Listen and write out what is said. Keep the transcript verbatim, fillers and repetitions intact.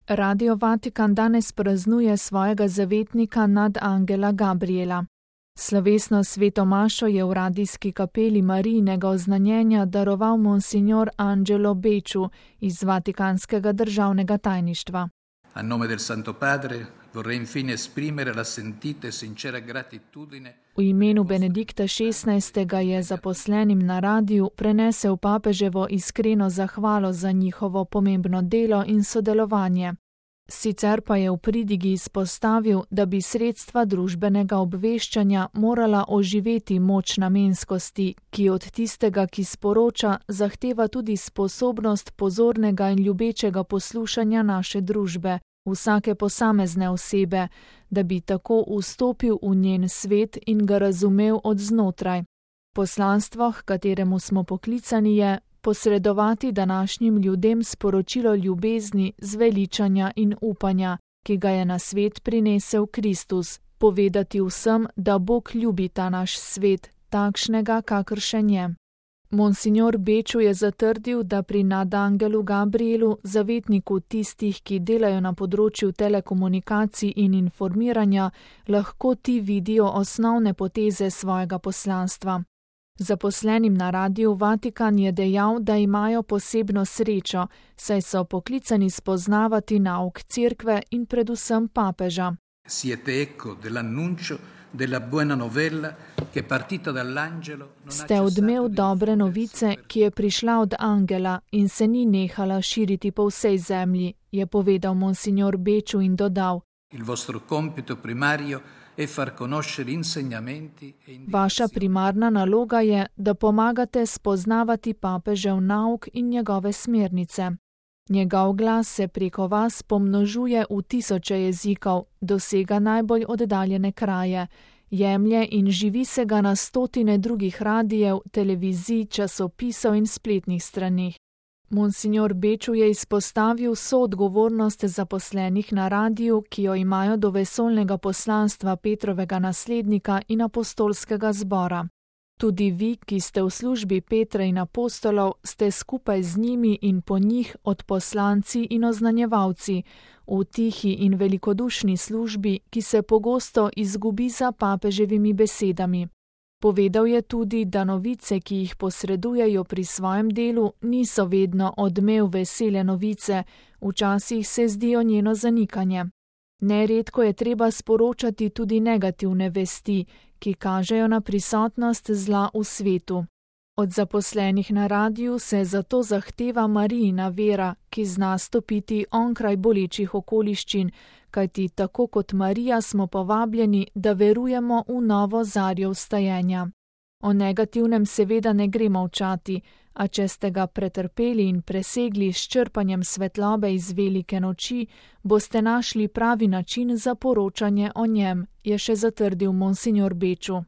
Radio Vatikan danes praznuje svojega zavetnika nadangela Gabriela. Slovesno sveto mašo je v radijski kapeli Marijinega oznanjenja daroval monsignor Angelo Becciu iz Vatikanskega državnega tajništva. A nome del Santo Padre vorrei infine esprimere la sentita e sincera gratitudine. V imenu Benedikta šestnajstega je zaposlenim na radiju prenesel papeževo iskreno zahvalo za njihovo pomembno delo in sodelovanje. Sicer pa je v pridigi izpostavil, da bi sredstva družbenega obveščanja morala oživeti moč namenskosti, ki od tistega, ki sporoča, zahteva tudi sposobnost pozornega in ljubečega poslušanja naše družbe, vsake posamezne osebe, da bi tako vstopil v njen svet in ga razumel od znotraj. Poslanstvo, h kateremu smo poklicani, je posredovati današnjim ljudem sporočilo ljubezni, zveličanja in upanja, ki ga je na svet prinesel Kristus, povedati vsem, da Bog ljubi ta naš svet, takšnega, kakršen je. Monsignor Becciu je zatrdil, da pri nadangelu Gabrielu, zavetniku tistih, ki delajo na področju telekomunikacij in informiranja, lahko ti vidijo osnovne poteze svojega poslanstva. Zaposlenim na radiju Vatikan je dejal, da imajo posebno srečo, saj so poklicani spoznavati nauk cerkve in predvsem papeža. Siete eco dell'annuncio della buona novella che è partita dall'angelo. Ste odmev dobre novice, ki je prišla od angela in se ni nehala širiti po vsej zemlji, je povedal monsignor Becciu in dodal: Il vostro compito primario è far conoscere insegnamenti e indicazioni. Vaša primarna naloga je, da pomagate spoznavati papežev nauk in njegove smernice. Njegov glas se preko vas pomnožuje v tisoče jezikov, dosega najbolj oddaljene kraje, jemlje in živi se ga na stotine drugih radijev, televizij, časopisov in spletnih straneh. Monsignor Becciu je izpostavil soodgovornost zaposlenih na radiju, ki jo imajo do vesoljnega poslanstva Petrovega naslednika in apostolskega zbora. Tudi vi, ki ste v službi Petra in apostolov, ste skupaj z njimi in po njih odposlanci in oznanjevalci, v tihi in velikodušni službi, ki se pogosto izgubi za papeževimi besedami. Povedal je tudi, da novice, ki jih posredujejo pri svojem delu, niso vedno odmev vesele novice, včasih se zdijo njeno zanikanje. Neredko je treba sporočati tudi negativne vesti, ki kažejo na prisotnost zla v svetu. Od zaposlenih na radiju se zato zahteva Marijina vera, ki zna stopiti onkraj bolečih okoliščin, kajti tako kot Marija smo povabljeni, da verujemo v novo zarjo vstajenja. O negativnem seveda ne gre molčati, a če ste ga pretrpeli in presegli s črpanjem svetlobe iz velike noči, boste našli pravi način za poročanje o njem, je še zatrdil monsignor Becciu.